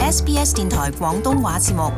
SBS 電台廣東話節目。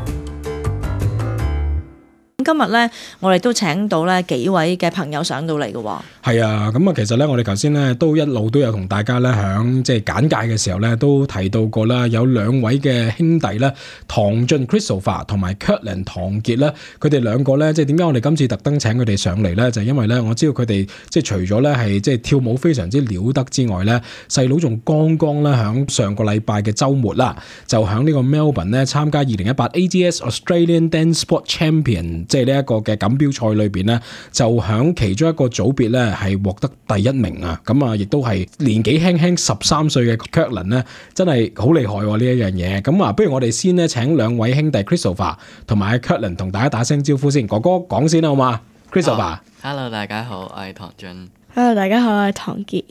今日咧，我哋都請到咧幾位嘅朋友上到嚟嘅喎。係啊，咁啊，其實咧，我哋頭先咧都一路都有同大家咧響即係簡介嘅時候咧，都提到過啦，有兩位嘅兄弟咧，唐俊 Christopher 同埋 Kirtland 唐傑咧，佢哋兩個咧，即係點解我哋今次特登請佢哋上嚟咧？就係因為咧，我知道佢哋即係除咗咧係即係跳舞非常之了得之外咧，細佬仲剛剛咧響上個禮拜嘅週末啦，就響呢個 Melbourne 咧參加2018 AGS Australian Dance Sport Champion，即係呢一個嘅錦標賽裏邊咧，就響其中一個組別咧係獲得第一名啊！咁啊，亦都係年紀輕輕13歲嘅 Kirtland 咧，真係好厲害喎呢一樣嘢。咁啊，不如我哋先咧請兩位兄弟 Christopher 同埋 Kirtland 同大家打聲招呼先。哥哥講先啦，好嘛 ？Christopher。Hello， 大家好，我係唐俊。Hello， 大家好，我係唐傑。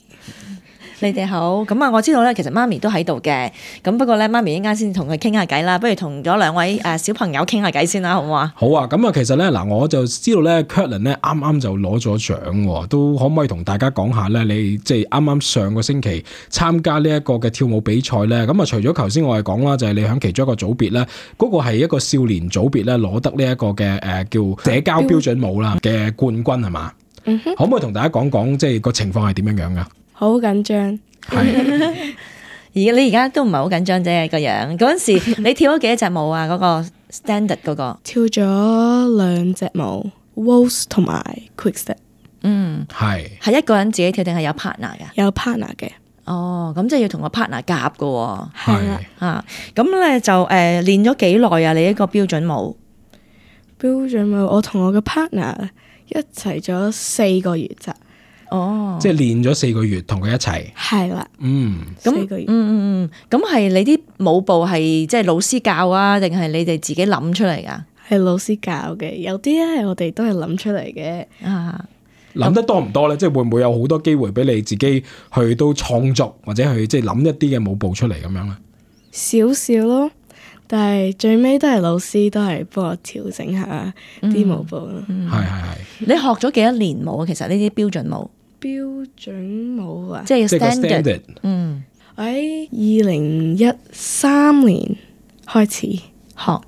你哋好，咁啊，我知道咧，其實媽咪都喺度嘅，咁不過咧，媽咪一陣間先同佢傾下偈啦，不如同咗兩位小朋友傾下偈先啦，好唔好啊？好啊，咁啊，其實咧嗱，我就知道咧 Kirtland 咧啱啱就攞咗獎喎，都可唔可以同大家講下咧？你即係啱啱上個星期參加呢一個嘅跳舞比賽咧，咁啊，除咗頭先我哋講啦，就係你喺其中一個組別咧，嗰個係一個少年組別咧攞得呢一個嘅叫社交標準舞啦嘅冠軍係嘛？可唔可以同大家講講即係個情況係點樣樣噶？好緊張。你而家都唔係好緊張啫個樣。嗰陣時你跳咗幾多隻舞啊？嗰個 standard 嗰個跳咗2隻舞 waltz 同埋 quickstep。係一個人自己跳定係有 partner 噶？有 partner 嘅。哦，咁即係要同個 partner 夾噶喎。係啦。啊，咁咧就練咗幾耐啊？你一個標準舞？標準舞我同我嘅 partner 一齊咗4個月咋。哦，即係練咗4個月，同佢一齊。係啦。4個月。咁係你啲舞步係即係老師教啊，定係你哋自己諗出嚟噶？係老師教嘅，有啲咧我哋都係諗出嚟嘅。諗得多唔多咧？即係會唔會有好多機會俾你自己去到創作，或者去即係諗一啲嘅舞步出嚟咁樣咧？少少咯，但係最尾都係老師都係幫我調整下啲舞步咯。係。你學咗幾多年舞啊？其實呢啲標準舞。標準舞啊，即係 standard。我喺2013年開始學，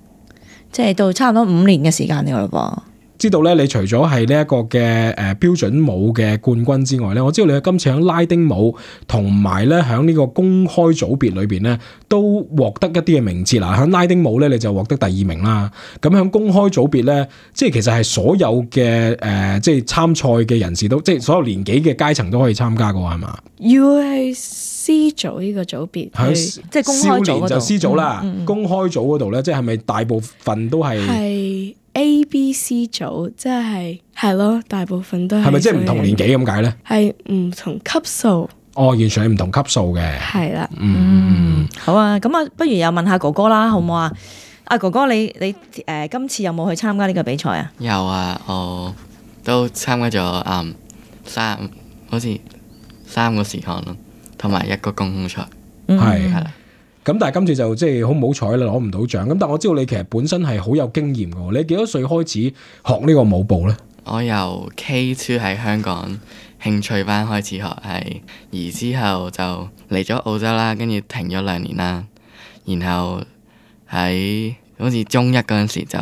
即係到差唔多5年嘅時間嚟咯噃。知道咧，你除咗係呢一個嘅標準舞嘅冠軍之外咧，我知道你今次喺拉丁舞同埋咧喺呢個公開組別裏邊咧，都獲得一啲嘅名次啦。喺拉丁舞咧，你就獲得第2名啦。咁喺公開組別咧，即係其實係所有嘅即係參賽嘅人士都，即係所有年紀嘅階層都可以參加嘅喎，係嘛？要係 C 組呢個組別，即係公開組嗰度。少年就 C 組啦，公開組嗰度咧，即係咪大部分都係A、B、C 組，即係咯，大部分都係。係咪即係唔同年紀咁解咧？係唔同級數。哦，完全係唔同級數嘅。係啦。好啊，咁啊，不如又問下哥哥啦，好唔好啊？阿哥哥，你今次有冇去參加呢個比賽啊？有啊，我都參加咗好似3個時項咯，同埋1個公開賽。係啦。咁但係今次就即係好唔好彩啦，攞唔到獎。咁但係我知道你其實本身係好有經驗嘅。你幾多歲開始學呢個舞步咧？我由 K2 喺香港興趣班開始學，而之後就嚟咗澳洲啦，跟住停咗2年啦。然後喺好似中1嗰陣時就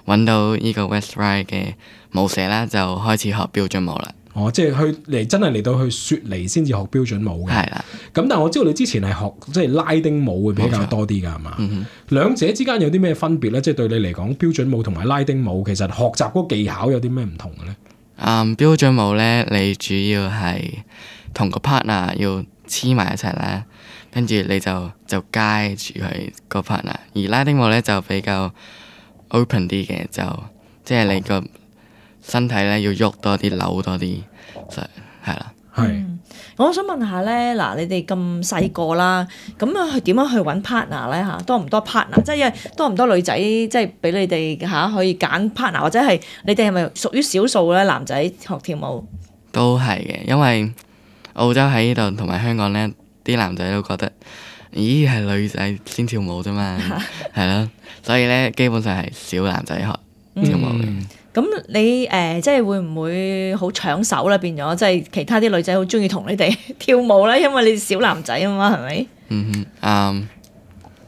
揾到呢個 West Ryde 嘅舞社啦，就開始學標準舞啦。哦，即係真係嚟到去雪梨先至學標準舞嘅。係啦。咁但係我知道你之前係學即係拉丁舞會比較多啲㗎，係嘛？兩者之間有啲咩分別咧？即係對你嚟講，標準舞同埋拉丁舞其實學習嗰個技巧有啲咩唔同嘅咧？標準舞咧，你主要係同個 partner 要黐埋一齊啦，跟住你就街住佢個 partner。而拉丁舞咧就比較 open 啲嘅，就即係你個身體咧要喐多啲，扭多啲，就係啦。係。我想問下咧，嗱，你哋咁細個啦，咁啊點樣去揾 partner 咧嚇？多唔多 partner？即係多唔多女仔，即係俾你哋嚇可以揀 partner，或者係你哋係咪屬於少數咧？男仔學跳舞都係嘅，因為澳洲喺呢度同埋香港咧，啲男仔都覺得，咦係女仔先跳舞啫嘛，係咯，所以咧基本上係少男仔學跳舞嘅。咁你即係會唔會好搶手咧？變咗即係其他啲女仔好中意同你哋跳舞咧，因為你小男仔啊嘛，係咪？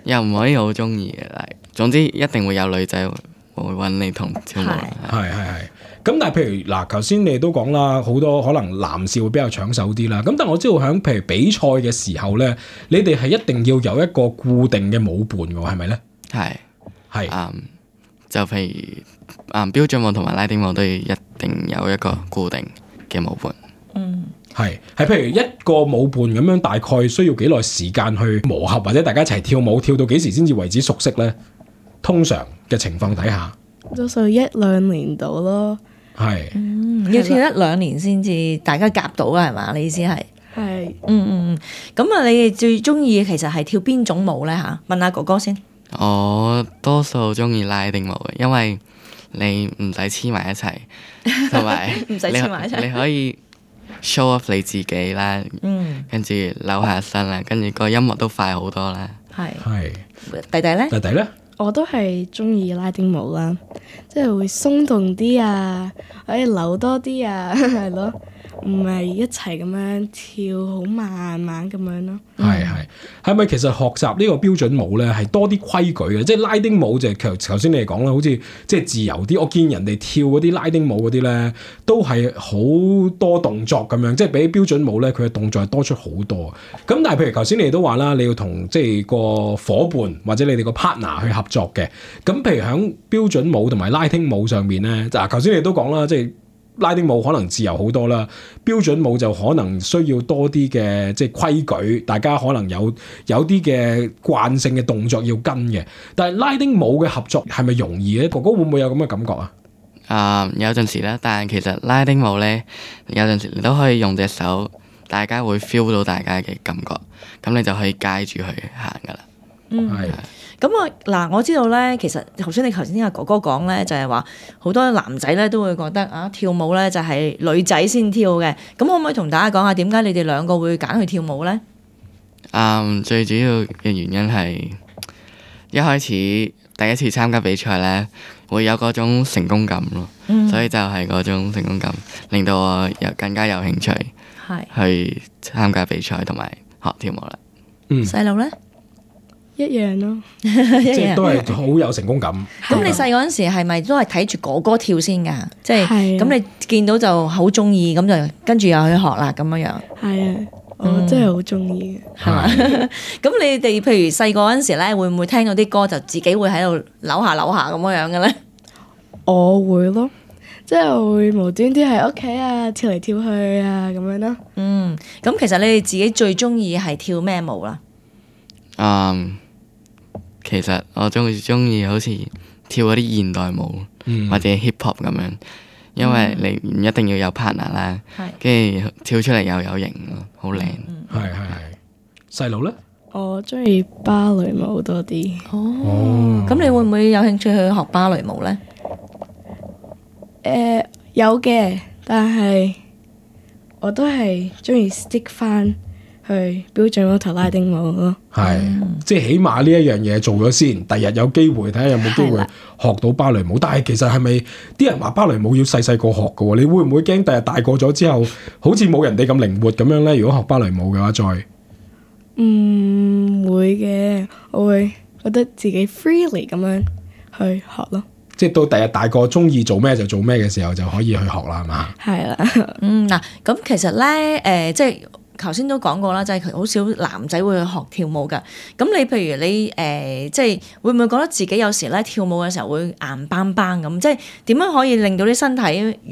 又唔可以好中意嘅，但係總之一定會有女仔會揾你同跳舞。係。咁但係譬如嗱，頭先你都講啦，好多可能男士會比較搶手啲啦。咁但係我知道喺譬如比賽嘅時候咧，你哋係一定要有一個固定嘅舞伴嘅喎，係咪咧？係。就譬如標準舞同埋拉丁舞都要一定有一個固定嘅舞伴。係譬如一個舞伴咁樣，大概需要幾耐時間去磨合，或者大家一齊跳舞，跳到幾時先至為止熟悉咧？通常嘅情況底下，多數1-2年到咯。係。要跳1-2年先至大家夾到啊，係嘛？你意思係？係。咁啊，你哋最中意其實係跳邊種舞咧嚇？問下哥哥先。我多數中意拉丁舞嘅，因為你唔使黐埋一齊，同埋唔使黐埋一齊，你可以 show off 你自己啦，跟住扭下身啦，跟住個音樂都快好多啦。係。弟弟咧？我都係中意拉丁舞啦，即係會鬆動啲啊，可以扭多啲啊，係咯，唔係一齊咁樣跳好慢慢咁樣咯。係咪其實學習呢個標準舞咧係多啲規矩嘅？即係拉丁舞就係頭先你哋講啦，好似即係自由啲。我見人哋跳嗰啲拉丁舞嗰啲咧，都係好多動作咁樣，即係比標準舞咧，佢嘅動作係多出好多。咁但係譬如頭先你哋都話啦，你要同即係個伙伴或者你哋個 partner 去合作嘅。咁譬如喺標準舞同埋拉丁舞上面咧，就頭先你哋都講啦，即係拉丁舞可能自由好多啦，標準舞就可能需要多啲嘅即係規矩，大家可能有啲嘅慣性嘅動作要跟嘅。但係拉丁舞嘅合作係咪容易咧？哥哥會唔會有咁嘅感覺啊？有陣時啦，但係其實拉丁舞咧，有陣時你都可以用隻手，大家會 feel 到大家嘅感覺，咁你就可以街住去行噶啦。係。咁我知道咧，其實頭先阿哥哥講咧，就係話好多男仔咧都會覺得啊，跳舞咧就係女仔先跳嘅。咁可唔可以同大家講下點解你哋兩個會揀去跳舞咧？最主要嘅原因係一開始第一次參加比賽咧，會有嗰種成功感咯，所以就係嗰種成功感令到我更加有興趣去參加比賽同埋學跳舞啦。細路咧？一樣咯，即係都係好有成功感。咁你細嗰陣時係咪都係睇住哥哥跳先㗎？即係咁你見到就好中意，咁就跟住又去學啦咁樣樣。係啊，我真係好中意嘅，係嘛？咁你哋譬如細個嗰陣時咧，會唔會聽到啲歌就自己會喺度扭下咁樣樣嘅咧？我會咯，即係會無端端喺屋企啊跳嚟跳去啊咁樣咯。咁其實你哋自己最中意係跳咩舞啦？其實我中意好似跳嗰啲現代舞，或者 hip hop 咁樣，因為你唔一定要有 partner 啦，跟住跳出嚟又有型咯，好靚。係。細路咧？我中意芭蕾舞多啲。咁你會唔會有興趣去學芭蕾舞咧？有嘅，但係我都係中意 stick 翻去標準舞同拉丁舞咯。即係起碼呢一樣嘢做咗先，第日有機會睇下有冇機會學到芭蕾舞。但係其實係咪啲人話芭蕾舞要細細個學嘅喎？你會唔會驚第日大個咗之後，好似冇人哋咁靈活咁樣咧？如果學芭蕾舞嘅話，再唔會嘅，我會覺得自己 freely 咁樣去學咯。即係到第日大個中意做咩就做咩嘅時候，就可以去學啦，係嘛？係啦。嗱，咁其實咧，即係。頭先都講過啦，就係好少男仔會去學跳舞㗎。咁你譬如你即係會唔會覺得自己有時咧跳舞嘅時候會硬邦邦咁？即係點樣可以令到啲身體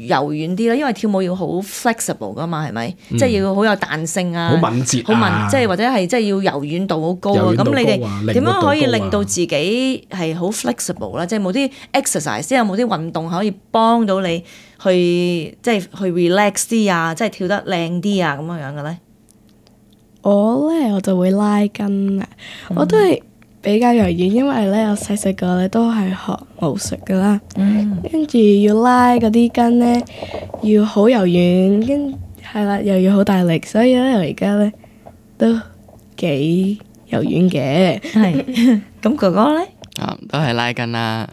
柔軟啲咧？因為跳舞要好 flexible 㗎嘛，係咪？即係要好有彈性啊，好敏捷啊，即係或者係即係要柔軟度好高啊。咁你哋點樣可以令到自己係好 flexible 咧？即係冇啲 exercise，即係有冇啲運動可以幫到你去即係去 relax 啲啊，即係跳得靚啲啊咁樣嘅咧？我就會拉筋啦，我都係比較柔軟，因為咧我細細個咧都係學武術噶啦，跟住要拉嗰啲筋咧要好柔軟，係啦又要好大力，所以咧我而家咧都幾柔軟嘅。係，咁哥哥咧？都係拉筋啦，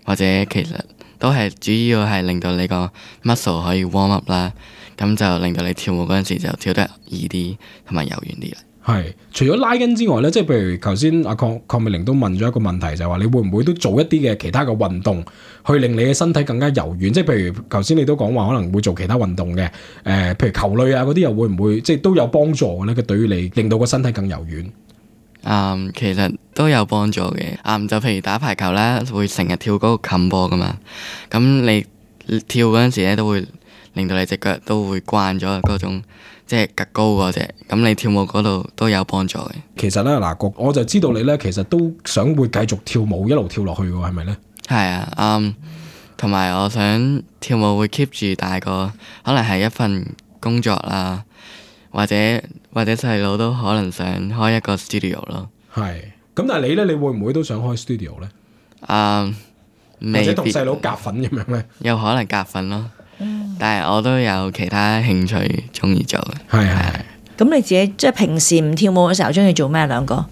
或者其實都係主要係令到你個 muscle 可以 warm up 啦。咁就令到你跳舞嗰陣時就跳得易啲，同埋柔軟啲啦。係，除咗拉筋之外咧，即係譬如頭先阿鄺美玲都問咗一個問題，就係話你會唔會都做一啲嘅其他嘅運動，去令你嘅身體更加柔軟？即係譬如頭先你都講話可能會做其他運動嘅，譬如球類啊嗰啲又會唔會即係都有幫助嘅咧？佢對於你令到個身體更柔軟。其實都有幫助嘅。就譬如打排球啦，會成日跳嗰個冚波噶嘛，咁你跳嗰陣時咧都會令到你隻腳都會慣咗嗰種。即係趌高嗰隻，咁你跳舞嗰度都有幫助嘅。其實咧嗱，我就知道你咧，其實都想會繼續跳舞，一路跳落去嘅，係咪咧？係啊，同埋我想跳舞會 keep 住大個，可能係一份工作啦，或者細佬都可能想開一個 studio 咯。係，咁但係你咧，你會唔會都想開 studio 咧？或者同細佬夾份咁樣咧？有可能夾份咯。但係我都有其他興趣中意做嘅。係。咁你自己即係平時唔跳舞嘅時候，中意做咩兩個？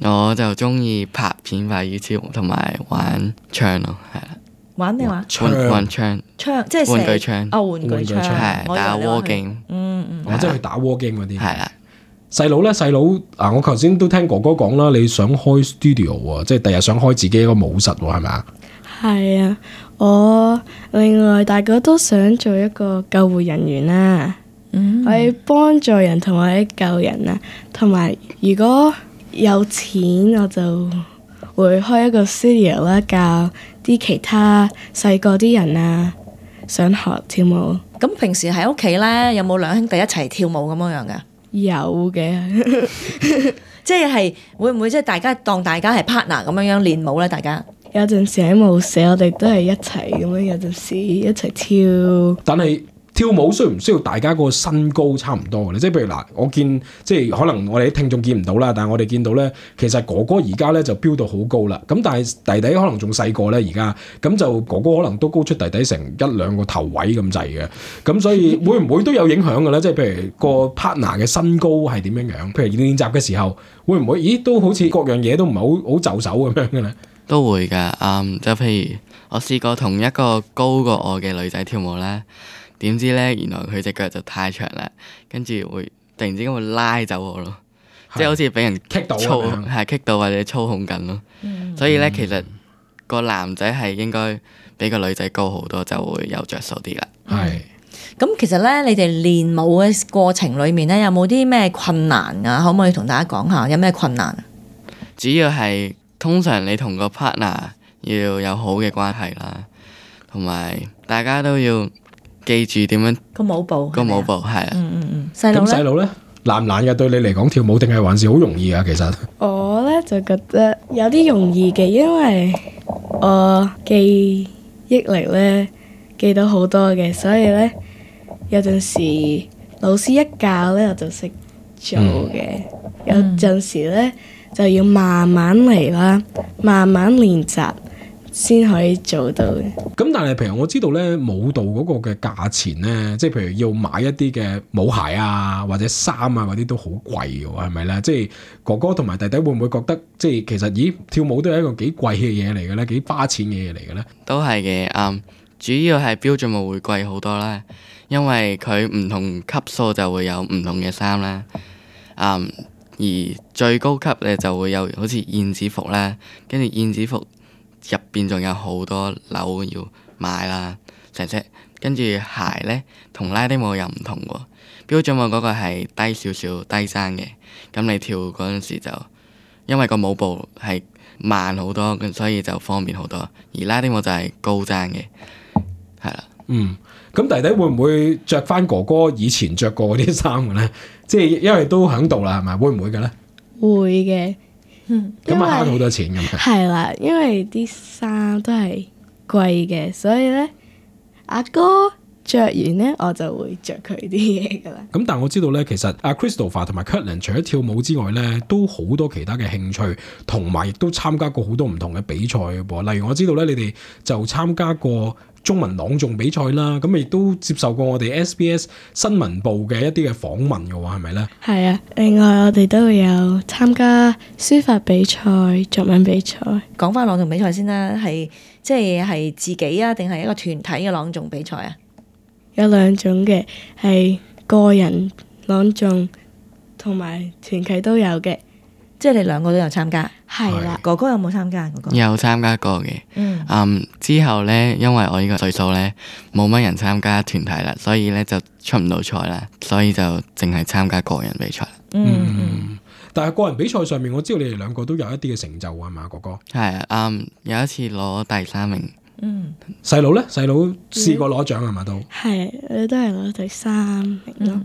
我就中意拍片、拍 YouTube 同埋玩槍咯，係啦。玩咩話？玩槍，即係玩具槍。玩具槍係打 war game。即係去打 war game 嗰啲。係啦。細佬咧，我頭先都聽哥哥講啦，你想開 studio 喎，即係第日想開自己一個舞室喎，係咪啊？係啊，我另外大個都想做一個救護人員啦，我要幫助人同埋救人啊，同埋如果有錢我就會開一個 studio 啦，教啲其他細個啲人啊想學跳舞。咁平時喺屋企咧，有冇兩兄弟一齊跳舞咁樣噶？有嘅，即係會唔會即係大家當大家係 partner 咁樣練舞咧？大家有陣時喺舞社，我哋都係一齊咁樣，有陣時一齊跳。但係跳舞需唔需要大家個身高差唔多嘅咧？即係譬如嗱，我見即係可能我哋啲聽眾見唔到啦，但係我哋見到咧，其實哥哥而家咧就飆到好高啦。咁但係弟弟可能仲細個咧，而家咁就哥哥可能都高出弟弟成一兩個頭位咁滯嘅。咁所以會唔會都有影響嘅咧？即係譬如個 partner 嘅身高係點樣樣？譬如練習嘅時候，會唔會咦都好似各樣嘢都唔係好就手咁樣嘅咧？都會㗎。就譬如我試過同一個高過我嘅女仔跳舞咧。點知咧，原來佢隻腳就太長啦，跟住會突然之間會拉走我咯，即係好似俾人棘到棘到或者操控緊咯。所以咧，其實個男仔係應該比個女仔高好多，就會有着數啲啦。係。咁其實咧，你哋練舞嘅過程裏面咧，有冇啲咩困難啊？可唔可以同大家講下有咩困難？主要係通常你同個 partner 要有好嘅關係啦，同埋大家都要記住點樣個舞步係啊。細佬咧難唔難嘅？對你嚟講跳舞定係還是好容易啊？其實我咧就覺得有啲容易嘅，因為我記憶力咧記到好多嘅，所以咧有陣時老師一教咧我就識做嘅。有陣時咧就要慢慢嚟啦，慢慢練習先可以做到嘅。咁但係譬如我知道咧，舞蹈嗰個嘅價錢咧，即係譬如要買一啲嘅舞鞋啊，或者衫啊嗰啲都好貴嘅喎，係咪咧？即係哥哥同埋弟弟會唔會覺得即係其實咦跳舞都係一個幾貴嘅嘢嚟嘅咧，幾花錢嘅嘢嚟嘅咧？都係嘅，主要係標準舞會貴好多啦，因為佢唔同級數就會有唔同嘅衫啦，而最高級咧就會有好似燕子服啦，跟住燕子服入邊仲有好多樓要買啦，成隻。跟住鞋咧同拉丁舞又唔同喎，標準舞嗰個係低少少低踭嘅，咁你跳嗰陣時就因為個舞步係慢好多，咁所以就方便好多。而拉丁舞就係高踭嘅，係啦。咁弟弟會唔會着翻哥哥以前着過嗰啲衫嘅咧？即係因為都喺度啦，係咪？會唔會嘅咧？會嘅。咁啊慳好多錢咁樣。係啦，因為啲衫都係貴嘅，所以咧阿哥着完咧，我就會着佢啲嘢噶啦。咁但係我知道咧，其實阿 Christopher 同埋 Kirtland 除咗跳舞之外咧，都好多其他嘅興趣，同埋亦都參加過好多唔同嘅比賽嘅噃。例如我知道咧，你哋就參加過中文朗誦比賽啦，咁亦都接受過我哋 SBS 新聞部嘅一啲嘅訪問嘅喎，係咪咧？係啊，另外我哋都會有參加書法比賽、作文比賽。講翻朗誦比賽先啦，係即係自己啊，定係一個團體嘅朗誦比賽啊？有兩種嘅，係個人朗誦同埋團契都有嘅。即係你兩個都有參加。係啦，哥哥有冇參加？哥哥有參加過嘅。之後呢，因為我呢個歲數呢，冇乜人參加團體啦，所以呢就出唔到賽啦，所以就淨係參加個人比賽。但係個人比賽上面，我知道你哋兩個都有一啲嘅成就係嘛，哥哥？係啊，有一次攞第3名。細佬咧，細佬試過攞獎係嘛都？係，你都係攞第3名咯。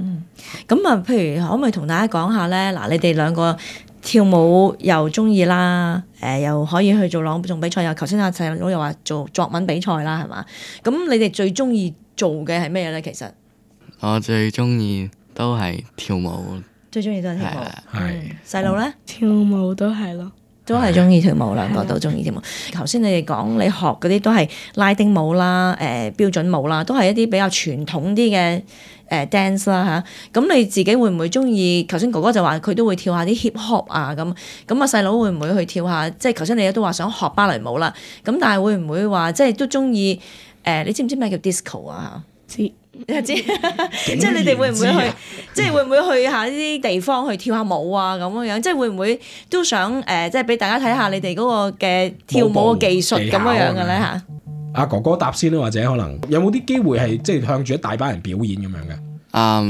咁啊，譬如可唔可以同大家講下咧？嗱，你哋兩個跳舞又中意啦，又可以去做朗誦比賽，又頭先阿細佬又話做作文比賽啦，係嘛？咁你哋最中意做嘅係咩咧？其實我最中意都係跳舞。最中意都係跳舞。係細佬咧，跳舞都係咯。都係中意跳舞，兩個都中意跳舞。頭先你哋講你學嗰啲都係拉丁舞啦、標準舞啦，都係一啲比較傳統啲嘅dance 啦嚇。咁你自己會唔會中意？頭先哥哥就話佢都會跳下啲 hip hop 啊咁。咁啊細佬會唔會去跳下？即係頭先你都話想學芭蕾舞啦。咁但係會唔會話即係都中意？你知唔知咩叫 disco 啊？知。你知，即係你哋會唔會去？即係會唔會去下呢啲地方去跳下舞啊？咁樣樣，即係會唔會都想即係俾大家睇下你哋嗰個嘅跳舞嘅技術咁樣樣嘅咧嚇？阿哥哥答先啦，或者可能有冇啲機會係即係向住一大班人表演咁樣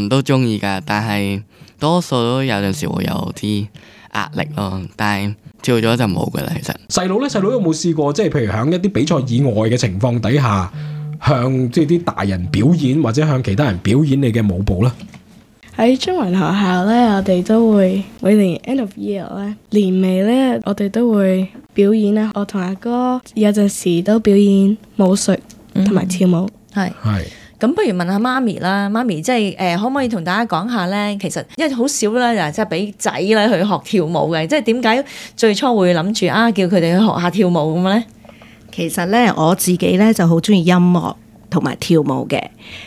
嘅？都中意㗎，但係多數都有陣時會有啲壓力咯。但係跳咗就冇㗎啦。其實細佬咧，細佬有冇試過即係譬如喺一啲比賽以外嘅情況底下？向即係啲大人表演，或者向其他人表演你嘅舞步啦。喺中文學校咧，我哋都會每年 end of year 咧，年尾咧，我哋都會表演啦。我同阿哥有陣時都表演武術同埋跳舞。係。咁不如問下媽咪啦，媽咪即係可唔可以同大家講下咧？其實因為好少咧，就即係俾仔咧去學跳舞嘅，即係點解最初會諗住叫佢哋去學下跳舞咁咧？其實咧，我自己咧就好中意音樂同埋跳舞嘅。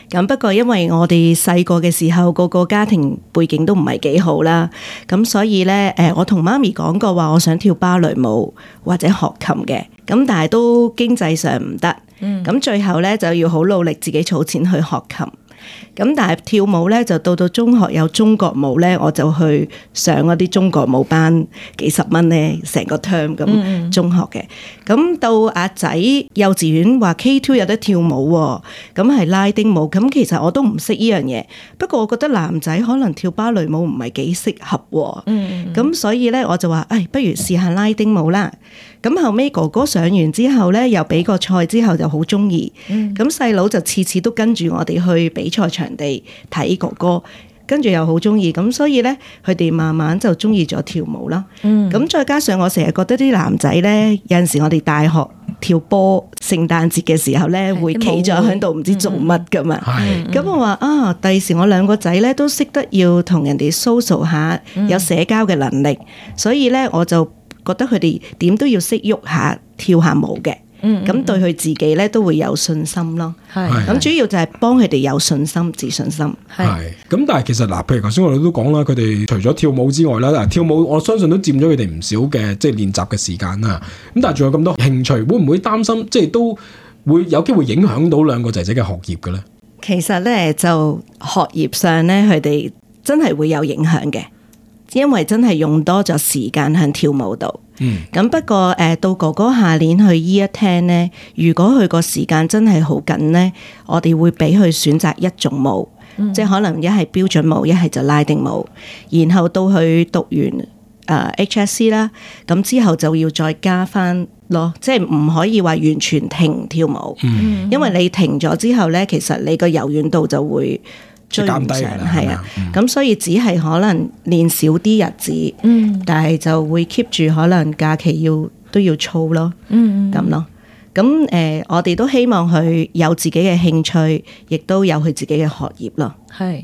咁不過因為我哋細個嘅時候，個家庭背景都唔係幾好啦，咁所以咧，我同媽咪講過話，我想跳芭蕾舞或者學琴嘅。咁但係都經濟上唔得，咁最後咧就要好努力自己儲錢去學琴。咁但係跳舞咧，就到中學有中國舞咧，我就去上嗰啲中國舞班，幾十蚊咧，成個 term 咁中學嘅。咁到阿仔幼稚園話 K2 有得跳舞喎，咁係拉丁舞。咁其實我都唔識呢樣嘢，不過我覺得男仔可能跳芭蕾舞唔係幾適合喎。咁所以咧我就話，不如試下拉丁舞啦。咁後尾哥哥上完之後咧，又比個賽之後就好中意。咁細佬就次次都跟住我哋去比賽場地睇哥哥，跟住又好中意。咁所以咧，佢哋慢慢就中意咗跳舞啦。咁再加上我成日覺得啲男仔咧，有陣時我哋大學跳波，聖誕節嘅時候咧，會企咗喺度唔知做乜噶嘛。咁我話第時我兩個仔咧都識得要同人哋 social 下，有社交嘅能力，所以咧我就覺得佢哋點都要識喐下跳下舞嘅，咁對佢自己咧都會有信心咯。咁主要就係幫佢哋有信心、自信心。咁但係其實嗱，譬如頭先我哋都講啦，佢哋除咗跳舞之外啦，跳舞我相信都佔咗佢哋唔少嘅即係練習嘅時間啦。咁但係仲有咁多興趣，會唔會擔心即係都會有機會影響到兩個仔仔嘅學業嘅咧？其實咧就學業上咧，佢哋真係會有影響嘅。因為真係用多咗時間喺跳舞度，咁不過到哥哥下年去 Year 10咧，如果佢個時間真係好緊咧，我哋會俾佢選擇一種舞，即係可能一係標準舞，一係就拉丁舞，然後到佢讀完HSC 啦，咁之後就要再加翻咯，即係唔可以話完全停跳舞，因為你停咗之後咧，其實你個柔軟度就會追唔上，係啊，咁所以只係可能練少啲日子，但係就會 keep 住可能假期都要操咯，咁咯。咁我哋都希望佢有自己嘅興趣，亦都有佢自己嘅學業咯。係，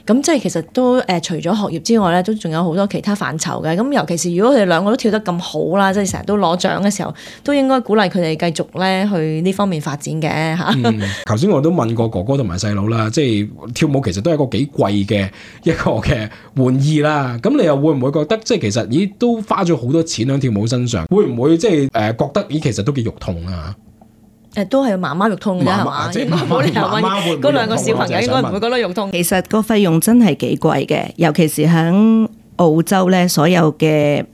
咁即係其實都除咗學業之外咧，都仲有好多其他範疇嘅。咁尤其是如果佢哋兩個都跳得咁好啦，即係成日都攞獎嘅時候，都應該鼓勵佢哋繼續咧去呢方面發展嘅嚇。頭先我都問過哥哥同埋細佬啦，即係跳舞其實都係一個幾貴嘅一個嘅玩意啦。咁你又會唔會覺得即係其實都花咗好多錢喺跳舞身上？會唔會即係覺得其實都幾肉痛啊？都係媽媽肉痛嘅係嘛？應該冇理由問嗰兩個小朋友應該唔會覺得肉痛。其實個費用真係幾貴嘅，尤其是喺澳洲咧所有嘅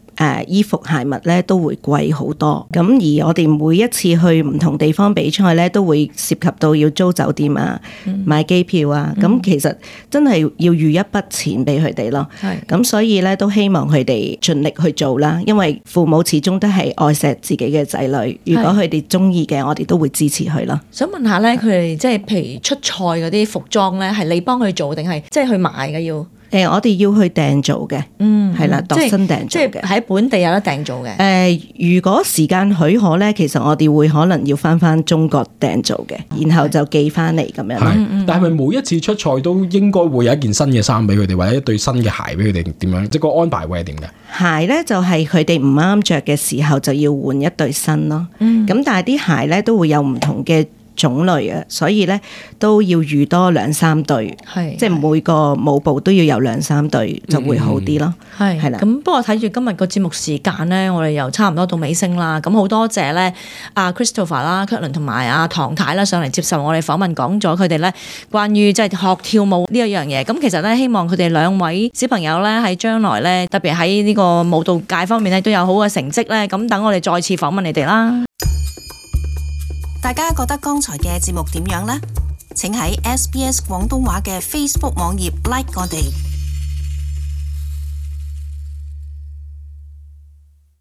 衣服鞋襪咧都會貴好多，咁而我哋每一次去唔同地方比賽咧，都會涉及到要租酒店啊、買機票啊，咁其實真係要預一筆錢俾佢哋咯。咁所以咧都希望佢哋盡力去做啦，因為父母始終都係愛錫自己嘅仔女，如果佢哋中意嘅，我哋都會支持佢咯。想問下咧，佢哋即係譬如出賽嗰啲服裝咧，係你幫佢做定係即係去買嘅要？我哋要去訂做嘅，係啦，度身訂做嘅，即係喺本地有得訂做嘅。如果時間許可咧，其實我哋會可能要翻中國訂做嘅，然後就寄翻嚟咁樣。但係咪每一次出賽都應該會有一件新嘅衫俾佢哋，或者一對新嘅鞋俾佢哋點樣？即係個安排會係點嘅？鞋咧就係佢哋唔啱着嘅時候就要換一對新咯。咁但係啲鞋咧都會有唔同嘅種類啊，所以咧都要預多2-3對，即係每個舞步都要有2-3對就會好啲咯。係啦。咁不過睇住今日個節目時間咧，我哋又差唔多到尾聲啦。咁好多謝咧阿 Christopher 啦、Kirtland 同埋阿唐太啦上嚟接受我哋訪問，講咗佢哋咧關於即係學跳舞呢一樣嘢。咁其實咧希望佢哋兩位小朋友咧喺將來咧，特別喺呢個舞蹈界方面咧都有好嘅成績咧。咁等我哋再次訪問你哋啦。大家覺得剛才嘅節目點樣呢？請喺SBS 廣東話嘅 Facebook 網頁 like 我哋。